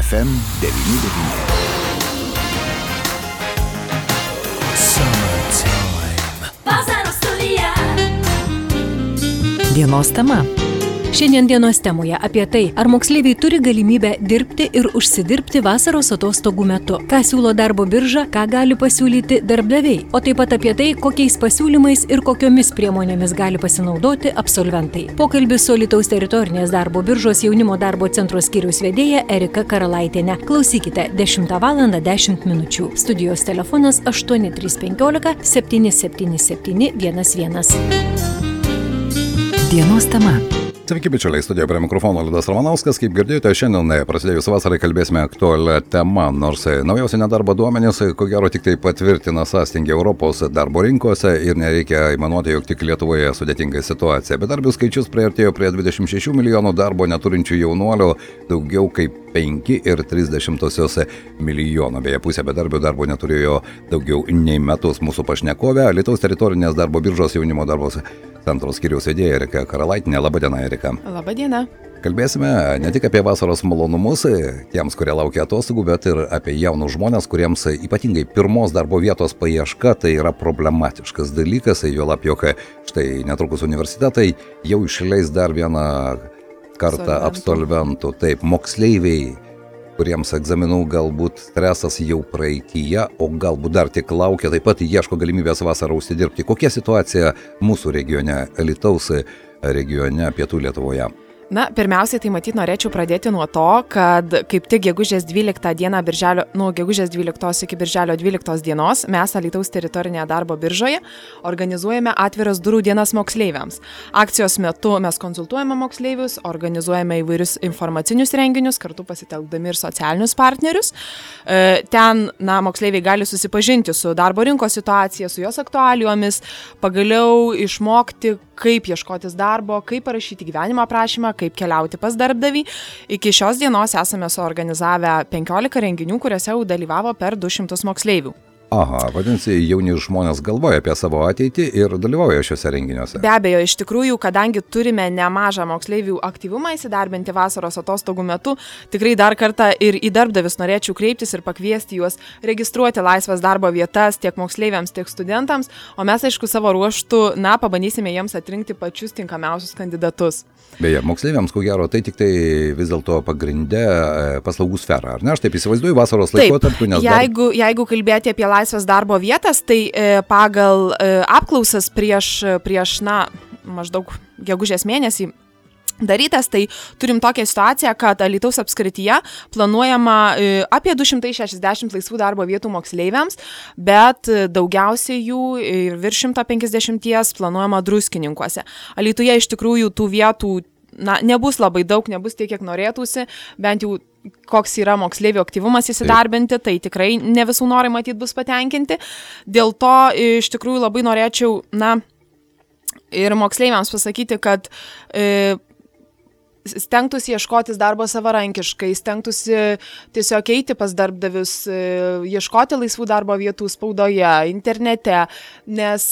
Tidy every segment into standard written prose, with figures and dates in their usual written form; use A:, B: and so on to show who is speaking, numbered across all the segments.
A: FM 99.
B: Vasaros studija.
C: Dienos tema. Šiandien dienos temoje apie tai, ar moksleiviai turi galimybę dirbti ir užsidirbti vasaros atostogų metu, ką siūlo darbo birža, ką gali pasiūlyti darbdaviai, o taip pat apie tai, kokiais pasiūlymais ir kokiomis priemonėmis gali pasinaudoti absolventai. Pokalbis su Alytaus teritorinės darbo biržos jaunimo darbo centro skyriaus vedėja Erika Karalaitienė. Klausykite 10:10 min. Studijos telefonas 8315 777 11. Dienos tema.
D: Sveiki, bičiuliai, studijoje prie mikrofono Liudas Ramanauskas. Kaip girdėjote, šiandien prasidėjus vasarai kalbėsime aktualią temą, nors naujausi nedarbo duomenys, ko gero tik tai patvirtina sąstingį Europos darbo rinkose ir nereikia įmanuoti, jog tik Lietuvoje sudėtinga situacija. Bedarbių skaičius priartėjo prie 26 milijonų darbo neturinčių jaunuolių, daugiau kaip 5,3 milijono. Beje, pusė bedarbių darbo neturėjo daugiau nei metus. Mūsų pašnekovė, Alytaus teritorinės darbo biržos jaunimo darbo centro skyriaus vedėja Erika Karalaitienė. Labadiena, Erika.
E: Labadiena.
D: Kalbėsime ne tik apie vasaros malonumus, tiems, kurie laukia atostogų, bet ir apie jaunus žmonės, kuriems ypatingai pirmos darbo vietos paieška tai yra problematiškas dalykas, juolab, jog štai netrukus universitetai jau išleis dar vieną kartą absolventų. Taip, moksleiviai, kuriems egzaminų galbūt stresas jau praeityje, o galbūt dar tik laukia, taip pat ieško galimybės vasarą užsidirbti. Kokia situacija mūsų regione, Alytaus regione, Pietų Lietuvoje?
E: Na, pirmiausiai, tai matyt, norėčiau pradėti nuo to, kad kaip tik gegužės 12 dieną gegužės 12 iki birželio 12 dienos mes Alytaus teritorinėje darbo biržoje organizuojame atviras durų dienas moksleiviams. Akcijos metu mes konsultuojame moksleivius, organizuojame įvairius informacinius renginius, kartu pasitelkdami ir socialinius partnerius. Ten, moksleiviai gali susipažinti su darbo rinkos situacija, su jos aktualijomis, pagaliau išmokti, kaip ieškotis darbo, kaip parašyti gyvenimo aprašymą, kaip keliauti pas darbdavį. Iki šios dienos esame suorganizavę 15 renginių, kuriuose jau dalyvavo per 200 moksleivių.
D: Aha, vadinasi, jauni žmonės galvoja apie savo ateitį ir dalyvauja šiuose renginiuose.
E: Be abejo, iš tikrųjų, kadangi turime nemažą moksleivių aktyvumą įsidarbinti vasaros atostogų metu, tikrai dar kartą ir į darbdavius norėčiau kreiptis ir pakviesti juos registruoti laisvas darbo vietas tiek moksleiviams, tiek studentams, o mes, aišku, savo ruoštų, bandysime jiems atrinkti pačius tinkamiausius kandidatus.
D: Beje, moksleiviams, ko gero, tai tik tai vis dėlto pagrindė paslaugų sfera, ar ne? Aš taip įsivaizduoju vasaros laikotarpiu, nes
E: jeigu kalbėti apie laisvas darbo vietas, tai pagal apklausas prieš maždaug gegužės mėnesį darytas, tai turim tokią situaciją, kad Alytaus apskrityje planuojama apie 260 laisvų darbo vietų moksleiviams, bet daugiausiai jų ir virš 150 planuojama Druskininkuose. Alytuje iš tikrųjų tų vietų nebus labai daug, nebus tiek, kiek norėtųsi, bent jau koks yra moksleivių aktyvumas įsidarbinti, tai tikrai ne visų norai matyt bus patenkinti. Dėl to iš tikrųjų labai norėčiau ir moksleiviams pasakyti, kad stengtųsi ieškotis darbo savarankiškai, stengtųsi tiesiog eiti pas darbdavius, ieškoti laisvų darbo vietų spaudoje, internete, nes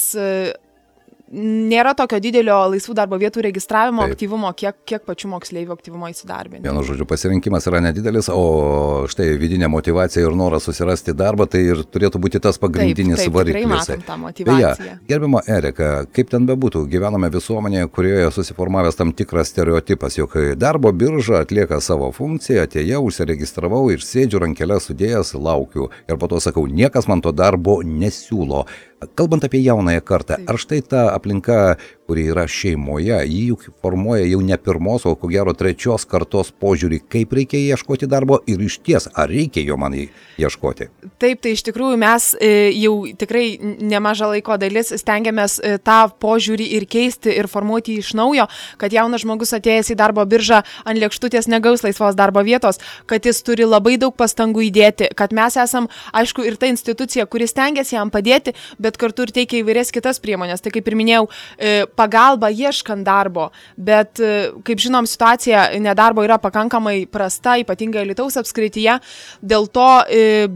E: nėra tokio didelio laisvų darbo vietų registravimo aktyvumo, kiek pačių moksleivių aktyvumo įsidarbinti.
D: Vienu žodžiu, pasirinkimas yra nedidelis, o štai vidinė motyvacija ir noras susirasti darbą, tai ir turėtų būti tas pagrindinis variklis.
E: Taip, tikrai matom tą motyvaciją.
D: Beje, gerbiama Erika, kaip ten bebūtų, gyvename visuomenėje, kurioje susiformavęs tam tikras stereotipas, jog darbo birža atlieka savo funkciją, atėjau, užsiregistravau ir sėdžiu rankeles sudėjęs, laukiu. Ir po to sakau, niekas man to darbo nesiūlo. Kalbant apie jaunąją kartą, ar štai ta aplinka, kuri yra šeimoje, jį juk formuoja jau ne pirmos, o ko gero trečios kartos požiūrį, kaip reikia ieškoti darbo ir iš ties, ar reikia jo man ieškoti?
E: Taip, tai iš tikrųjų mes jau tikrai nemažą laiko dalis stengiamės tą požiūrį ir keisti ir formuoti iš naujo, kad jaunas žmogus atėjęs į darbo biržą ant lėkštutės negaus laisvos darbo vietos, kad jis turi labai daug pastangų įdėti, kad mes esam, aišku, ir ta institucija, kuri stengiasi jam padėti, bet kartu ir teikia įvairias kitas priemonės. Tai kaip ir minėjau, pagalba ieškant darbo, bet kaip žinom, situacija nedarbo yra pakankamai prasta, ypatingai Alytaus apskrityje, dėl to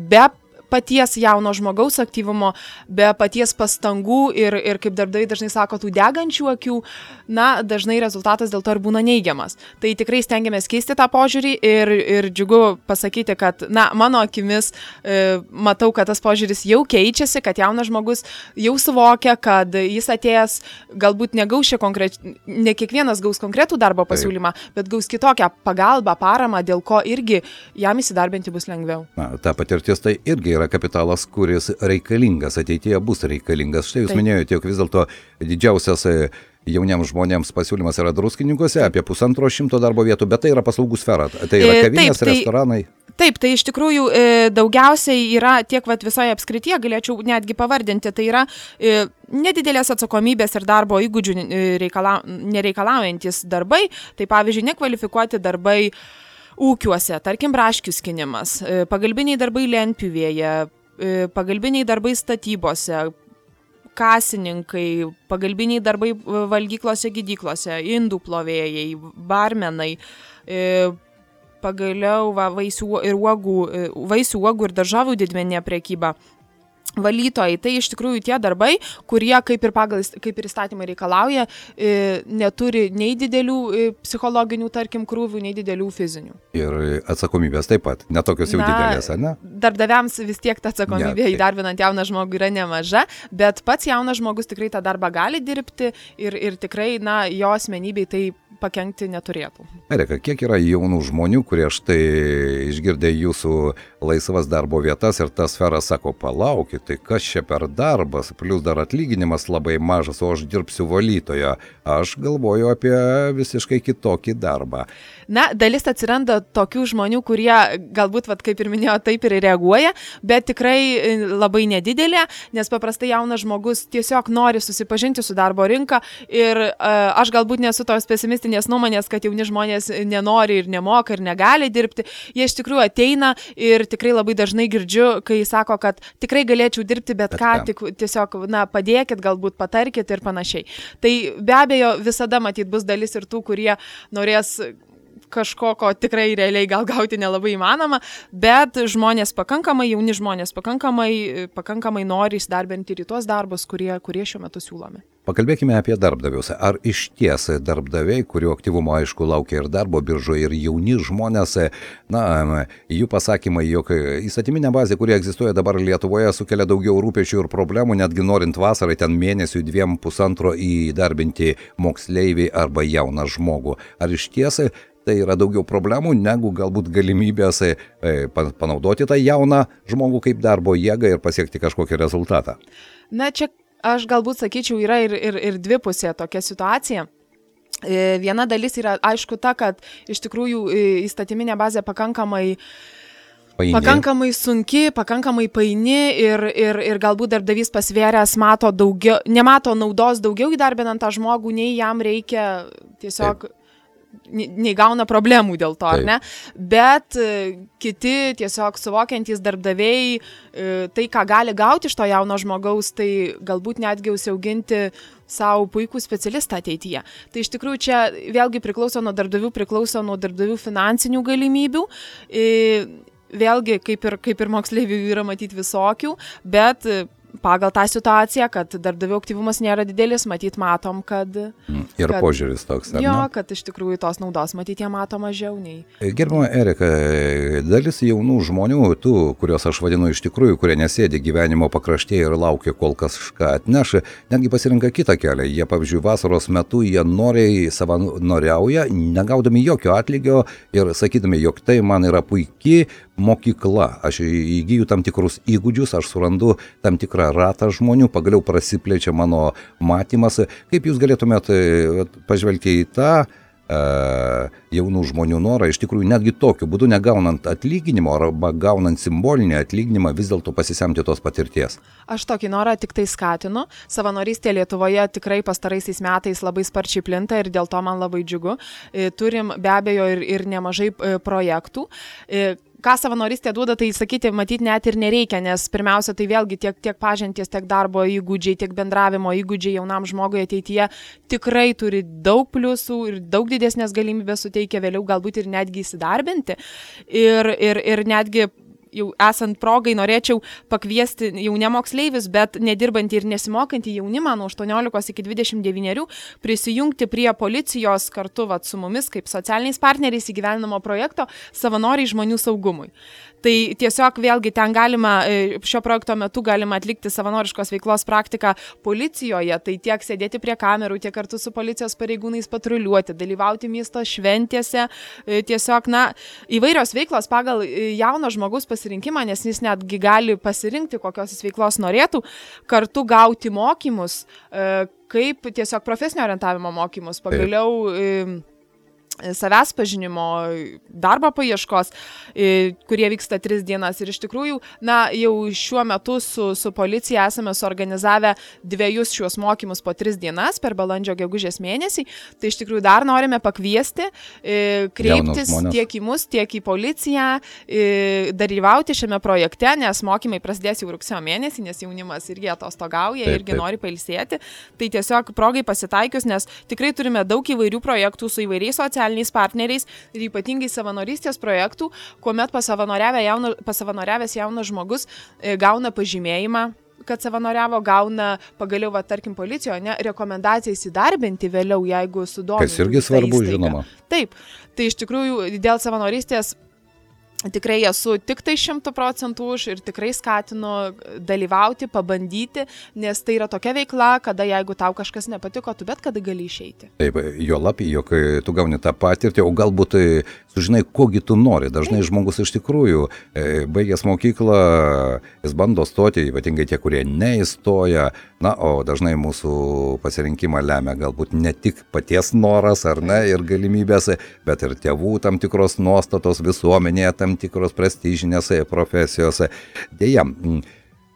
E: be paties jauno žmogaus aktyvumo, be paties pastangų ir kaip darbdaviai dažnai sako, tų degančių akių, na, dažnai rezultatas dėl to ir būna neigiamas. Tai tikrai stengiamės keisti tą požiūrį ir džiugu pasakyti, kad, na, mano akimis matau, kad tas požiūris jau keičiasi, kad jaunas žmogus jau suvokia, kad jis atėjęs galbūt negaus ne kiekvienas gaus konkretų darbo pasiūlymą, bet gaus kitokią pagalbą, paramą, dėl ko irgi jam įsidarbinti bus lengviau.
D: Na, ta patirtis tai irgi yra kapitalas, kuris reikalingas, ateityje bus reikalingas. Štai jūs minėjote, jog vis dėlto didžiausias jauniems žmonėms pasiūlymas yra Druskininkuose, apie 150 darbo vietų, bet tai yra paslaugų sfera, tai yra kavinės, restoranai.
E: Taip, tai iš tikrųjų daugiausiai yra tiek visoje apskrityje, galėčiau netgi pavardinti, tai yra nedidelės atsakomybės ir darbo įgūdžių nereikalaujantis darbai, tai pavyzdžiui, nekvalifikuoti darbai ūkiuose, tarkim, braškių skinimas, pagalbiniai darbai lentpjūvėje, pagalbiniai darbai statybose, kasininkai, pagalbinių darbai valgyklose, gydyklose, indų plovėjai, barmenai, pagaliau vaisių uogų ir daržovių didmeninė prekyba. Valytojai, tai iš tikrųjų tie darbai, kurie kaip ir įstatymai reikalauja, neturi nei didelių psichologinių, tarkim, krūvių, nei didelių fizinių.
D: Ir atsakomybės taip pat, netokios jau didelės, ne?
E: Darbdaviams vis tiek ta atsakomybė įdarbinant jauną žmogų yra nemaža, bet pats jaunas žmogus tikrai tą darbą gali dirbti ir tikrai, na, jo asmenybei tai pakenkti neturėtų.
D: Erika, kiek yra jaunų žmonių, kurie štai išgirdė jūsų laisvas darbo vietas ir ta sfera sako, palaukit, tai kas čia per darbas, plus dar atlyginimas labai mažas, o aš dirbsiu valytoje. Aš galvoju apie visiškai kitokį darbą.
E: Na, dalis atsiranda tokių žmonių, kurie galbūt, kaip ir minėjo, taip ir reaguoja, bet tikrai labai nedidelė, nes paprastai jaunas žmogus tiesiog nori susipažinti su darbo rinka ir aš galbūt nesu tos pesimistinės nuomonės, kad jauni žmonės nenori ir nemoka ir negali dirbti. Jie iš tikrųjų ateina ir tikrai labai dažnai girdžiu, kai sako, kad tikrai galėčiau dirbti bet ką, tik tiesiog, na, padėkit, galbūt patarkit ir panašiai. Tai be abejo visada matyt bus dalis ir tų, kurie norės kažko, ko tikrai realiai gal gauti nelabai įmanoma, bet žmonės pakankamai, jauni žmonės pakankamai nori įsidarbinti ir į tuos darbus, kurie šiuo metu siūlomi.
D: Pakalbėkime apie darbdavius. Ar iš ties darbdaviai, kurių aktyvumo aišku laukia ir darbo biržoje, ir jauni žmonės, na, jų pasakymai, jog įstatyminė bazė, kuri egzistuoja dabar Lietuvoje, sukelia daugiau rūpesčių ir problemų, netgi norint vasarai ten mėnesių 2-1,5 įdarbinti moksleivį arba jauną žmogų. Ar iš ties tai yra daugiau problemų, negu galbūt galimybės panaudoti tą jauną žmogų kaip darbo jėgą ir pasiekti kažkokį rezultatą?
E: Na, čia aš galbūt sakyčiau, yra ir dvipusė tokia situacija. Viena dalis yra aišku ta, kad iš tikrųjų įstatyminė bazė pakankamai sunki, pakankamai paini ir galbūt darbdavys pasvėręs nemato naudos daugiau įdarbinant tą žmogų, nei jam reikia tiesiog... nei gauna problemų dėl to, ar ne? Bet kiti tiesiog suvokiantys darbdaviai tai, ką gali gauti iš to jauno žmogaus, tai galbūt netgi užsiauginti savo puikų specialistą ateityje. Tai iš tikrųjų čia vėlgi priklauso nuo darbdavių finansinių galimybių. Vėlgi, kaip ir moksleivių yra matyti visokių, bet pagal tą situaciją, kad darbdavių aktyvumas nėra didelis, matom, kad...
D: Ir požiūris toks, ar ne?
E: Jo, kad iš tikrųjų tos naudos jie mato mažiau nei...
D: Gerbiama Erika, dalis jaunų žmonių, tų, kuriuos aš vadinu iš tikrųjų, kurie nesėdi gyvenimo pakraštėje ir laukia, kol kažką atneš, netgi pasirinka kitą kelią. Jie, pavyzdžiui, vasaros metu jie noriai savanoriauja, negaudami jokio atlygio ir sakydami, jog tai man yra puikiai mokykla. Aš įgyju tam tikrus įgūdžius, aš surandu tam tikrą ratą žmonių, pagaliau prasiplečia mano matymas. Kaip jūs galėtumėt pažvelgti į tą jaunų žmonių norą, iš tikrųjų netgi tokiu būdu negaunant atlyginimo arba gaunant simbolinį atlyginimą vis dėlto pasisemti tos patirties?
E: Aš tokį norą tik tai skatinu. Savanorystė Lietuvoje tikrai pastaraisiais metais labai sparčiai plinta ir dėl to man labai džiugu. Turim be abejo ir nemažai projektų. Ką savanorystė duoda, tai sakyti, matyti net ir nereikia, nes pirmiausia, tai vėlgi tiek pažinties, tiek darbo įgūdžiai, tiek bendravimo įgūdžiai jaunam žmogui ateityje tikrai turi daug pliusų ir daug didesnės galimybės suteikia vėliau galbūt ir netgi įsidarbinti. Ir netgi jau esant progai norėčiau pakviesti jau ne moksleivius, bet nedirbantį ir nesimokantį jaunimą nuo 18 iki 29 prisijungti prie policijos kartu su mumis kaip socialiniais partneriais įgyvendinamo projekto Savanoriai žmonių saugumui. Tai tiesiog vėlgi ten galima, šio projekto metu galima atlikti savanoriškos veiklos praktiką policijoje, tai tiek sėdėti prie kamerų, tiek kartu su policijos pareigūnais patruliuoti, dalyvauti miesto šventėse, tiesiog, įvairios veiklos pagal jauno žmogaus pasirinkimą, nes jis netgi gali pasirinkti, kokios jis veiklos norėtų, kartu gauti mokymus, kaip tiesiog profesinio orientavimo mokymus, pagaliau savęs pažinimo, darbo paieškos, kurie vyksta 3 dienas. Ir iš tikrųjų, jau šiuo metu su policija esame suorganizavę 2 šios mokymus po 3 dienas per balandžio gegužės mėnesį. Tai iš tikrųjų dar norime pakviesti, kreiptis tiek į mus, tiek į policiją, dalyvauti šiame projekte, nes mokymai prasidės jau rugsėjo mėnesį, nes jaunimas irgi atostogauja, irgi nori pailsėti. Tai tiesiog progai pasitaikius, nes tikrai turime daug įvairių projektų su įvairiais socialiniais partneriais ir ypatingai savanorystės projektų, kuomet pasavanoriavęs jaunas žmogus gauna pažymėjimą, kad savanoriavo, gauna pagaliau, tarkim, policijoje, rekomendaciją įsidarbinti vėliau, jeigu sudomintų.
D: Kas irgi svarbu, žinoma.
E: Taip, tai iš tikrųjų dėl savanorystės tikrai esu tik tai 100% už ir tikrai skatinu dalyvauti, pabandyti, nes tai yra tokia veikla, kada jeigu tau kažkas nepatiko, tu bet kada gali išeiti.
D: Taip, jo lapį, jog tu gauni tą patirtį, o galbūt sužinai, kogi tu nori. Dažnai žmogus iš tikrųjų, baigęs mokyklą, jis bando stoti, ypatingai tie, kurie neįstoja, o dažnai mūsų pasirinkimą lemia galbūt ne tik paties noras, ar ne, ir galimybės, bet ir tėvų tam tikros nuostatos visuomenėje, tam tikros prestižinės profesijos. Deja,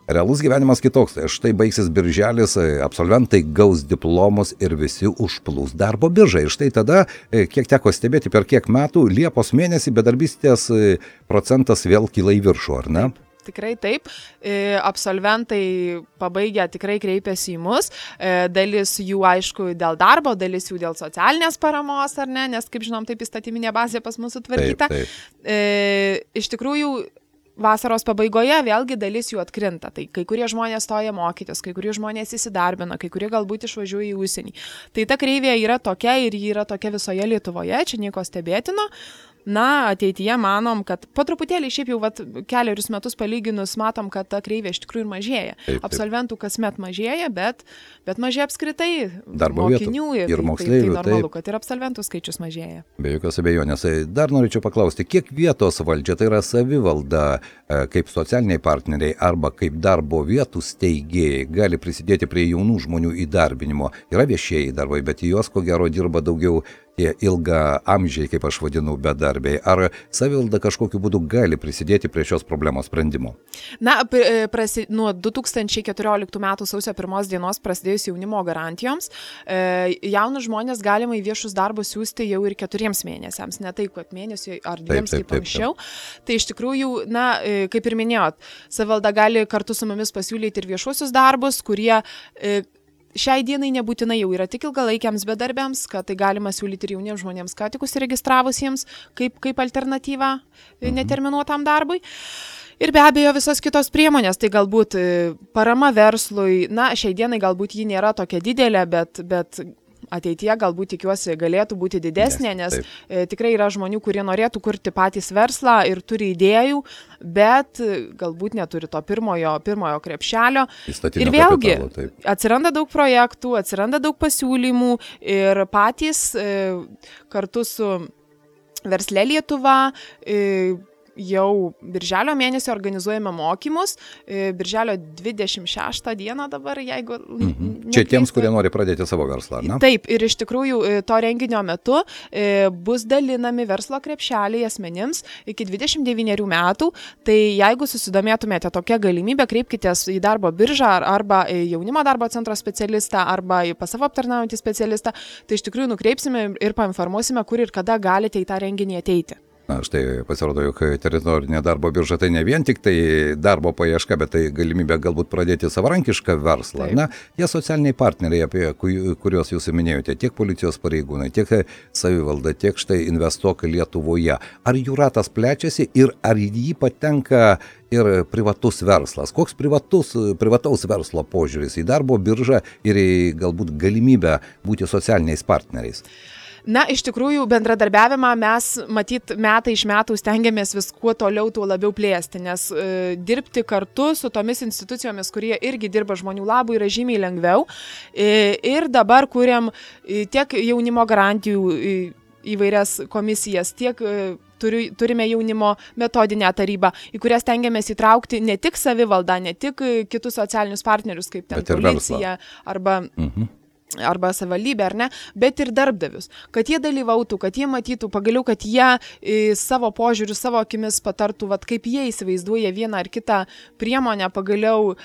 D: realus gyvenimas kitoks. Štai baigsis birželis, absolventai gaus diplomus ir visi užplūs darbo biržą. Ir štai tada, kiek teko stebėti, per kiek metų, Liepos mėnesį bedarbystės procentas vėl kyla į viršų, ar ne?
E: Taip. Tikrai taip, absolventai pabaigę tikrai kreipiasi į mus, dalis jų aišku dėl darbo, dalis jų dėl socialinės paramos, ar ne, nes kaip žinom, taip įstatyminė bazė pas mūsų sutvarkyta. Iš tikrųjų, vasaros pabaigoje vėlgi dalis jų atkrinta, tai kai kurie žmonės stoja mokytis, kai kurie žmonės įsidarbina, kai kurie galbūt išvažiuoja į užsienį. Tai ta kreivė yra tokia ir ji yra tokia visoje Lietuvoje, čia nieko stebėtino. Ateityje manom, kad po truputėlį šiaip jau keliarius metus palyginus matom, kad ta kreivė iš tikrųjų ir mažėja. Absolventų kasmet mažėja, bet mažėja apskritai
D: darbo
E: mokinių
D: ir moksleivių.
E: Tai normalu, kad ir absolventų skaičius mažėja.
D: Be jokios abejonės. Dar norėčiau paklausti, kiek vietos valdžia, tai yra savivalda, kaip socialiniai partneriai arba kaip darbo vietų steigėjai gali prisidėti prie jaunų žmonių įdarbinimo. Yra viešieji darbai, bet juos ko gero dirba daugiau tie ilga amžiai, kaip aš vadinu, bedarbiai. Ar savivalda kažkokiu būdu gali prisidėti prie šios problemos sprendimo?
E: Nuo 2014 metų sausio 1 dienos prasidėjus jaunimo garantijoms, jaunus žmonės galima į viešus darbus siūsti jau ir 4 mėnesiams, ne tai, kad mėnesiui ar 2 kaip anksčiau. Tai iš tikrųjų, kaip ir minėjot, savivalda gali kartu su mumis pasiūlyti ir viešuosius darbus, kurie šiai dienai nebūtinai jau yra tik ilgalaikiams bedarbiams, kad tai galima siūlyti ir jauniems žmonėms, ką tik užsiregistravusiems kaip alternatyva neterminuotam darbui. Ir be abejo visos kitos priemonės, tai galbūt parama verslui, šiai dienai galbūt ji nėra tokia didelė, bet ateityje galbūt tikiuosi galėtų būti didesnė, nes tikrai yra žmonių, kurie norėtų kurti patys verslą ir turi idėjų, bet galbūt neturi to pirmojo krepšelio. Ir vėlgi atsiranda daug projektų, atsiranda daug pasiūlymų ir patys kartu su Versle Lietuva jau birželio mėnesį organizuojame mokymus, birželio 26 dieną dabar, jeigu...
D: Čia tiems, kurie nori pradėti savo verslą, ne?
E: Taip, ir iš tikrųjų to renginio metu bus dalinami verslo krepšeliai asmenims iki 29 metų, tai jeigu susidomėtumėte tokia galimybė, kreipkitės į darbo biržą arba jaunimo darbo centro specialistą arba į pas savo aptarnaujantį specialistą, tai iš tikrųjų nukreipsime ir painformuosime, kur ir kada galite į tą renginį ateiti.
D: Na, štai pasirodo, jog teritorinė darbo birža tai ne vien tik tai darbo paieška, bet tai galimybė galbūt pradėti savarankišką verslą.
E: Taip.
D: Na, tie socialiniai partneriai, apie kuriuos jūs minėjote, tiek policijos pareigūnai, tiek savivalda, tiek štai Investuok Lietuvoje. Ar jų ratas plečiasi ir ar į jį patenka ir privatus verslas? Koks privataus verslo požiūris į darbo biržą ir į galbūt galimybę būti socialiniais partneriais?
E: Na, iš tikrųjų, bendradarbiavimą mes, matyt, metai iš metų stengiamės vis kuo toliau, tuo labiau plėsti, nes dirbti kartu su tomis institucijomis, kurie irgi dirba žmonių labui, yra žymiai lengviau. Ir dabar kuriam tiek jaunimo garantijų įvairias komisijas, tiek turime jaunimo metodinę tarybą, į kurią stengiamės įtraukti ne tik savivaldą, ne tik kitus socialinius partnerius, kaip ten policija arba savivaldybė, ar ne, bet ir darbdavius, kad jie dalyvautų, kad jie matytų, pagaliau, kad jie savo požiūrių, savo akimis patartų, vat, kaip jie įsivaizduoja vieną ar kitą priemonę, pagaliau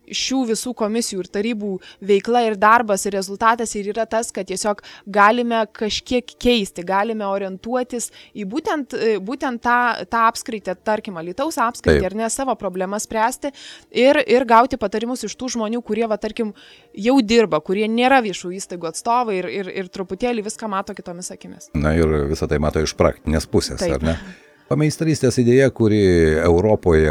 E: šių visų komisijų ir tarybų veikla ir darbas ir rezultatas ir yra tas, kad tiesiog galime kažkiek keisti, galime orientuotis į būtent tą apskritį, tarkim, Alytaus apskritį, ar ne, savo problemas spręsti ir gauti patarimus iš tų žmonių, kurie, va, tarkim, jau dirba, kurie nėra viešų įstaigų atstovai ir truputėlį viską mato kitomis akimis.
D: Na ir visą tai mato iš praktinės pusės,
E: Taip.
D: ar ne? Pameistrystės idėja, kuri Europoje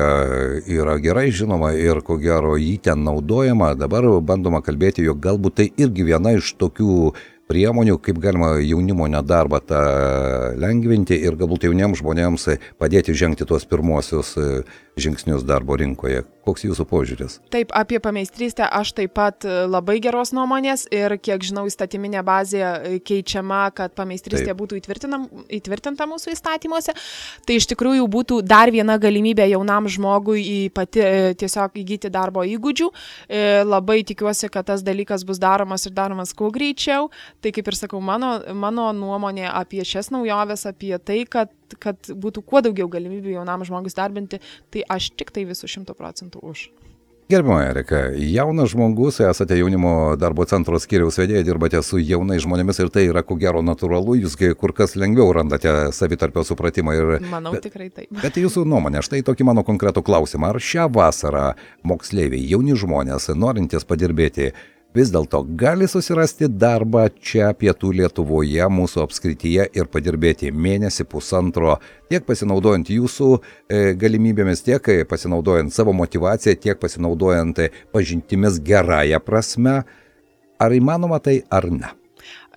D: yra gerai žinoma ir ko gero jį ten naudojama, dabar bandoma kalbėti, jog galbūt tai irgi viena iš tokių priemonių, kaip galima jaunimo nedarbą tą lengvinti ir galbūt jauniems žmonėms padėti žengti tuos pirmuosius žingsnius darbo rinkoje. Koks jūsų požiūris?
E: Taip, apie pameistrystę aš taip pat labai geros nuomonės ir kiek žinau, įstatyminė bazė keičiama, kad pameistrystė būtų įtvirtinta mūsų įstatymuose. Tai iš tikrųjų būtų dar viena galimybė jaunam žmogui tiesiog įgyti darbo įgūdžių. Labai tikiuosi, kad tas dalykas bus daromas ir daromas kuo greičiau. Tai kaip ir sakau, mano nuomonė apie šias naujoves, apie tai, kad būtų kuo daugiau galimybių jaunam žmogus darbinti, tai aš tik tai visų 100% už.
D: Gerbiama Erika, jaunas žmogus, esate jaunimo darbo centro skyriaus vedėja, dirbate su jaunais žmonėmis ir tai yra ko gero natūralu, jūs kur kas lengviau randate savitarpio supratimą.
E: Manau, tikrai taip.
D: Bet jūsų nuomonė, štai tokį mano konkretų klausimą, ar šią vasarą moksleiviai, jauni žmonės, norintys padirbėti, vis dėlto gali susirasti darbą čia Pietų Lietuvoje, mūsų apskrityje ir padirbėti mėnesį, pusantro, tiek pasinaudojant jūsų galimybėmis, tiek pasinaudojant savo motivaciją, tiek pasinaudojant pažintimis gerąją prasme. Ar įmanoma tai ar ne?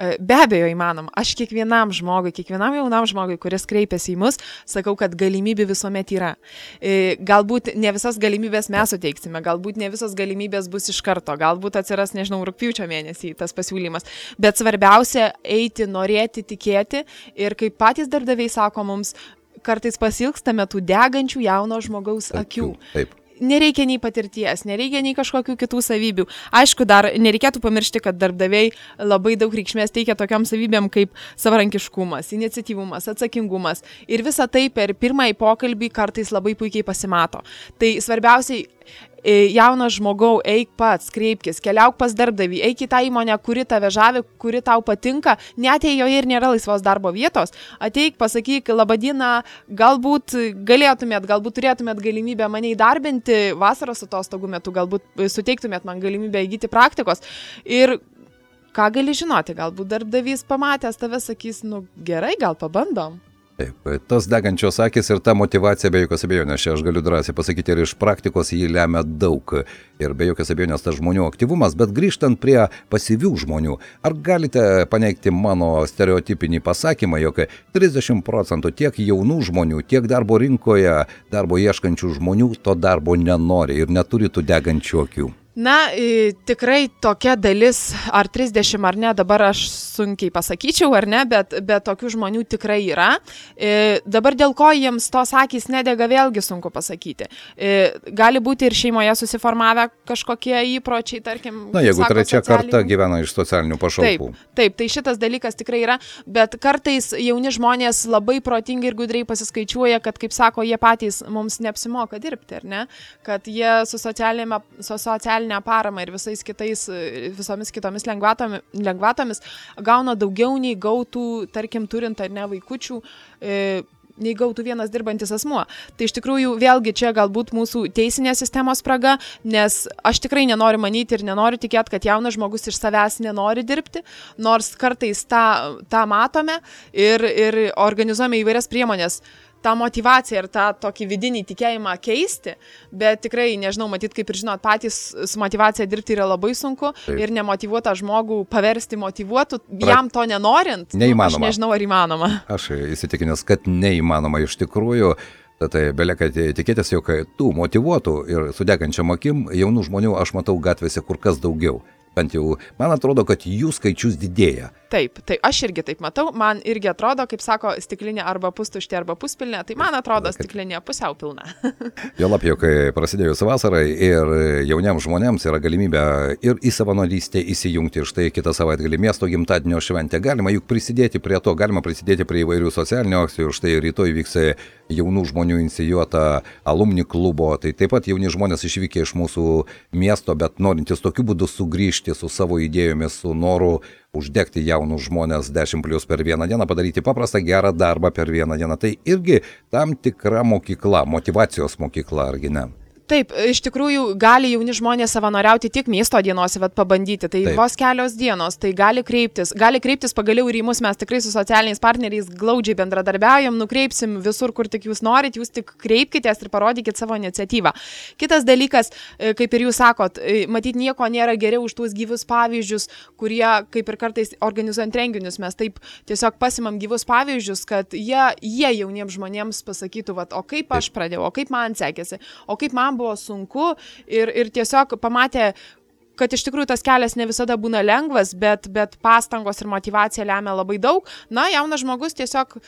E: Be abejo įmanoma. Aš kiekvienam jaunam žmogui, kuris kreipiasi į mus, sakau, kad galimybių visuomet yra. Galbūt ne visas galimybės mes suteiksime, galbūt ne visas galimybės bus iš karto, galbūt atsiras, nežinau, rugpjūčio mėnesį tas pasiūlymas. Bet svarbiausia eiti, norėti, tikėti ir kaip patys darbdaviai sako mums, kartais pasilgstame tų degančių jauno žmogaus akių.
D: Taip.
E: Nereikia nei patirties, nereikia nei kažkokių kitų savybių. Aišku, dar nereikėtų pamiršti, kad darbdaviai labai daug reikšmės teikia tokiam savybėm kaip savarankiškumas, iniciatyvumas, atsakingumas. Ir visa tai per pirmąjį pokalbį kartais labai puikiai pasimato. Tai svarbiausiai, jaunas žmogau, eik pats, kreipkis, keliauk pas darbdavį, eik į tą įmonę, kuri tave žavi, kuri tau patinka, net jei joje ir nėra laisvos darbo vietos, ateik, pasakyk, laba diena, galbūt turėtumėt galimybę mane įdarbinti vasaros atostogų metu, galbūt suteiktumėt man galimybę įgyti praktikos. Ir ką gali žinoti, galbūt darbdavys pamatęs tave sakys, gerai, gal pabandom.
D: Taip, tos degančios akis ir ta motyvacija be jokios abejonės, aš galiu drąsiai pasakyti, ir iš praktikos jį lemia daug ir be jokios abejonės tas žmonių aktyvumas, bet grįžtant prie pasyvių žmonių, ar galite paneigti mano stereotipinį pasakymą, jog 30% tiek jaunų žmonių, tiek darbo rinkoje, darbo ieškančių žmonių to darbo nenori ir neturi tų degančių akių?
E: Na, tikrai tokia dalis, ar 30 ar ne, dabar aš sunkiai pasakyčiau, ar ne, bet tokių žmonių tikrai yra. Dabar dėl ko jiems tos akys nedega, vėlgi sunku pasakyti. Gali būti ir šeimoje susiformavę kažkokie įpročiai, tarkim.
D: Na, jeigu trečia karta gyvena iš socialinių pašalpų.
E: Taip, tai šitas dalykas tikrai yra, bet kartais jauni žmonės labai protingai ir gudriai pasiskaičiuoja, kad, kaip sako, jie patys mums neapsimoka dirbti, ar ne, kad jie su socialinė paramą ir visomis kitomis lengvatomis gauna daugiau nei gautų, tarkim, turint ar ne vaikučių, nei gautų vienas dirbantis asmuo. Tai iš tikrųjų vėlgi čia galbūt mūsų teisinės sistemos spraga, nes aš tikrai nenoriu manyti ir nenoriu tikėti, kad jaunas žmogus iš savęs nenori dirbti, nors kartais tą matome ir organizuojame įvairias priemonės. tą motivaciją ir tą tokį vidinį tikėjimą keisti, bet tikrai, nežinau, matyt, kaip ir žinot, patys su motivacija dirbti yra labai sunku. Taip. Ir nemotyvuotą žmogų paversti motyvuotų, jam to nenorint, aš nežinau, ar įmanoma.
D: Aš įsitikinęs, kad neįmanoma iš tikrųjų. Tai belieka tikėtis, jog tų motyvuotų ir sudegančiam akim jaunų žmonių aš matau gatvėse kur kas daugiau. Bent jau man atrodo, kad jų skaičius didėja.
E: Taip, tai aš irgi taip matau, man irgi atrodo, kaip sako, stiklinė arba pustuštė arba puspilnė, tai man atrodo stiklinė pusiau pilna.
D: Juolab, jog prasidėjus vasarai ir jauniems žmonėms yra galimybė ir į savanorystę įsijungti, ir štai kitą savaitgalį miesto gimtadienio šventę. Galima juk prisidėti prie to, galima prisidėti prie įvairių socialinių akcijų, štai rytoj vyks jaunų žmonių inicijuota alumni klubo, tai taip pat jauni žmonės išvykę iš mūsų miesto, bet norintys tokiu būdu sugrįžti su savo idėjomis, su noru uždegti jaunus žmonės 10+ per vieną dieną, padaryti paprastą gerą darbą per vieną dieną. Tai irgi tam tikra mokykla, motyvacijos mokykla, argi ne?
E: Taip, iš tikrųjų gali jauni žmonės savanoriauti tik miesto dienose, bet pabandyti. Tai taip. Vos kelios dienos, tai gali kreiptis pagaliau ir į mus, mes tikrai su socialiniais partneriais glaudžiai bendradarbiaujam, nukreipsim visur, kur tik jūs norit, jūs tik kreipkitės ir parodykit savo iniciatyvą. Kitas dalykas, kaip ir jūs sakot, matyt, nieko nėra geriau už tuos gyvus pavyzdžius, kurie, kaip ir kartais organizuojant renginius, mes taip tiesiog pasimam gyvus pavyzdžius, kad jie jauniems žmonėms pasakytų, vat, o kaip aš pradėjau, o kaip man sekėsi, o kaip man buvo sunku ir tiesiog pamatė, kad iš tikrųjų tas kelias ne visada būna lengvas, bet pastangos ir motyvacija lemia labai daug. Na, jaunas žmogus tiesiog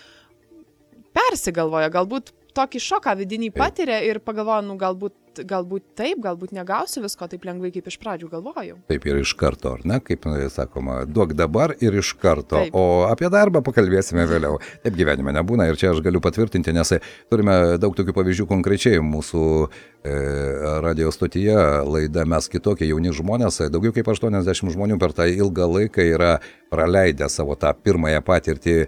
E: persigalvoja, galbūt tokį šoką vidinį patiria ir pagalvoja, nu galbūt taip, galbūt negausiu visko taip lengvai, kaip iš pradžių galvojau.
D: Taip ir iš karto, ar ne? Kaip sakoma, duok dabar ir iš karto. Taip. O apie darbą pakalbėsime vėliau. Taip gyvenime nebūna ir čia aš galiu patvirtinti, nes turime daug tokių pavyzdžių konkrečiai mūsų radio stotyje laida Mes kitokie jauni žmonės. Daugiau kaip 80 žmonių per tą ilgą laiką yra praleidę savo tą pirmąją patirtį,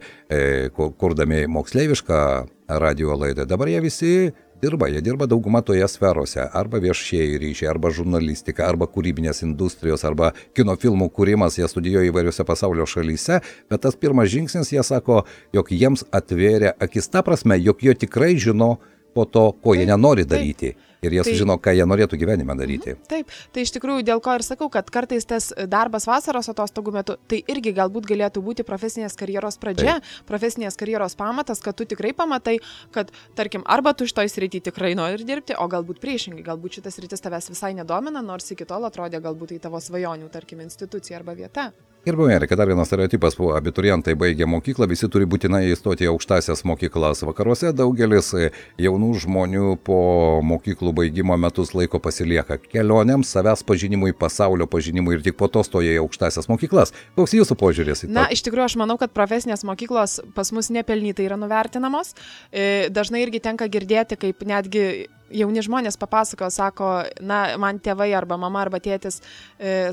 D: kurdami moksleivišką radio laidą. Dabar jie visi jie dirba dauguma toje sferose, arba viešieji ryšiai, arba žurnalistika, arba kūrybinės industrijos, arba kino filmų kūrimas, jie studijuoja įvairiose pasaulio šalyse, bet tas pirmas žingsnis, jie sako, jog jiems atvėrė akis ta prasme, jog jie tikrai žino po to, ko jie nenori daryti. Ir jie sužino, ką jie norėtų gyvenime daryti.
E: Taip, tai iš tikrųjų dėl ko ir sakau, kad kartais tas darbas vasaros atostogų metu, tai irgi galbūt galėtų būti profesinės karjeros pradžia, profesinės karjeros pamatas, kad tu tikrai pamatai, kad, tarkim, arba tu šitoj srity tikrai nori dirbti, o galbūt priešingai, galbūt šitas sritis tavęs visai nedomina, nors iki tol atrodė galbūt tai tavo svajonių, tarkim, institucija arba vieta.
D: Gerbiami Erika, dar vienas stereotipas, abiturientai baigė mokyklą, visi turi būtinai įstoti į aukštąsias mokyklas. Vakaruose daugelis jaunų žmonių po mokyklų baigimo metus laiko pasilieka kelionėms, savęs pažinimui, pasaulio pažinimui ir tik po to stoja į aukštąsias mokyklas. Koks jūsų požiūris į tai?
E: Na, iš tikrųjų, aš manau, kad profesinės mokyklos pas mus nepelnytai yra nuvertinamos. Dažnai irgi tenka girdėti, kaip netgi jauni žmonės papasako, sako, na, man tėvai arba mama arba tėtis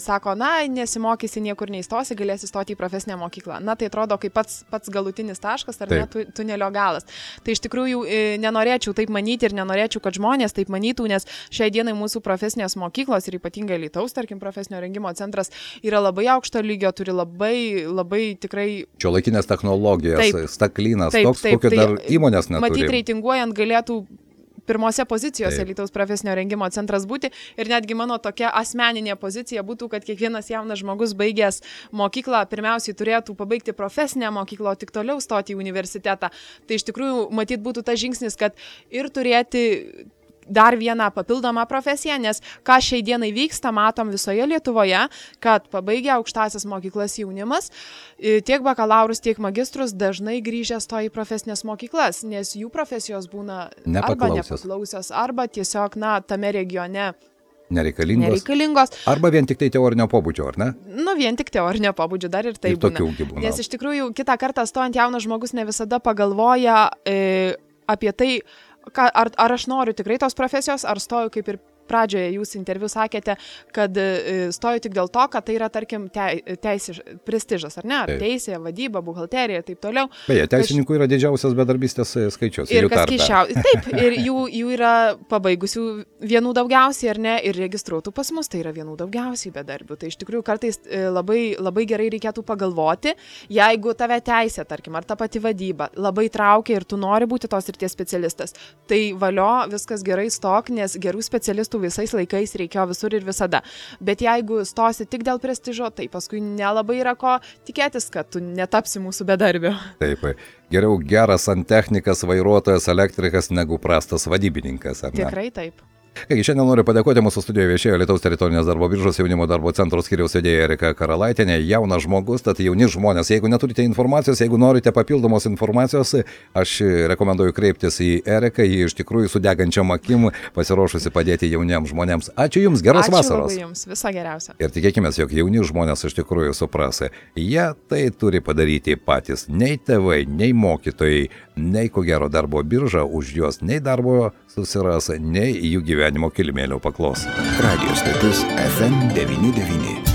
E: sako, na, nesimokysi, niekur neįstosi, galėsi stoti į profesinę mokyklą. Na, tai atrodo kaip pats galutinis taškas, ar ne, tunelio galas. Tai iš tikrųjų nenorėčiau taip manyti ir nenorėčiau, kad žmonės taip manytų, nes šiai dienai mūsų profesinės mokyklos ir ypatingai Alytaus, tarkim, profesinio rengimo centras yra labai aukšto lygio, turi labai tikrai...
D: Šiuolaikinės technologijas, staklynas, toks, kokio dar įmonės neturi.
E: Matyt, reitinguojant galėtų pirmose pozicijose Alytaus profesinio rengimo centras būti ir netgi mano tokia asmeninė pozicija būtų, kad kiekvienas jaunas žmogus baigęs mokyklą pirmiausiai turėtų pabaigti profesinę mokyklą, o tik toliau stoti į universitetą. Tai iš tikrųjų matyt būtų tas žingsnis, kad ir turėti dar vieną papildomą profesiją, nes ką šiai dienai vyksta, matom visoje Lietuvoje, kad pabaigę aukštąsias mokyklas jaunimas, tiek bakalaurus, tiek magistrus dažnai grįžę stoja į profesinės mokyklas, nes jų profesijos būna arba nepaklausios, arba tiesiog, na, tame regione nereikalingos.
D: Arba vien tik tai teorinio pobūdžio, ar ne?
E: Nu, vien tik teorinio pobūdžio, dar ir tai būna. Nes iš tikrųjų, kitą kartą stojant jaunas žmogus ne visada pagalvoja apie tai, ar aš noriu tikrai tos profesijos, ar stoju kaip ir pradžioje jūs interviu sakėte, kad stoju tik dėl to, kad tai yra, tarkim, prestižas, ar ne? Ar teisė, vadyba, buhalterija ir taip toliau.
D: Beje, teisininkų yra didžiausias bedarbystės skaičius.
E: Ir kas keiščiausia. Taip, ir jų yra pabaigusių vienų daugiausiai, ar ne? Ir registruotų pas mus, tai yra vienų daugiausiai bedarbių. Tai iš tikrųjų kartais labai, labai gerai reikėtų pagalvoti, jeigu tave teisė, tarkim, ar ta pati vadyba labai traukia ir tu nori būti tos srities specialistas, tai valio, viskas gerai stok, nes gerų specialistų visais laikais reikėjo visur ir visada. Bet jeigu stosi tik dėl prestižo, tai paskui nelabai yra ko tikėtis, kad tu netapsi mūsų bedarbiu.
D: Taip, geriau geras santechnikas, vairuotojas, elektrikas negu prastas vadybininkas, ar ne?
E: Tikrai taip.
D: Kągi, šiandien noriu padėkoti mūsų studijoje viešėjo Lietuvos teritorinės darbo biržos jaunimo darbo centro skyriaus vedėja Erika Karalaitienė. Jaunas žmogus, tad jauni žmonės. Jeigu neturite informacijos, jeigu norite papildomos informacijos, aš rekomenduoju kreiptis į Eriką, ji iš tikrųjų su degančiam akim pasiruošusi padėti jauniems žmonėms. Ačiū Jums, geros vasaros.
E: Ačiū labai Jums, viso geriausio.
D: Ir tikėkime, jog jauni žmonės iš tikrųjų supras. Jie tai turi padaryti patys. Nei tėvai, nei mokytojai, nei ko gero darbo birža už juos nei darbo susiras, nei jų gyvenimo kilimėlio paklos.
A: Radio stotis FM 99.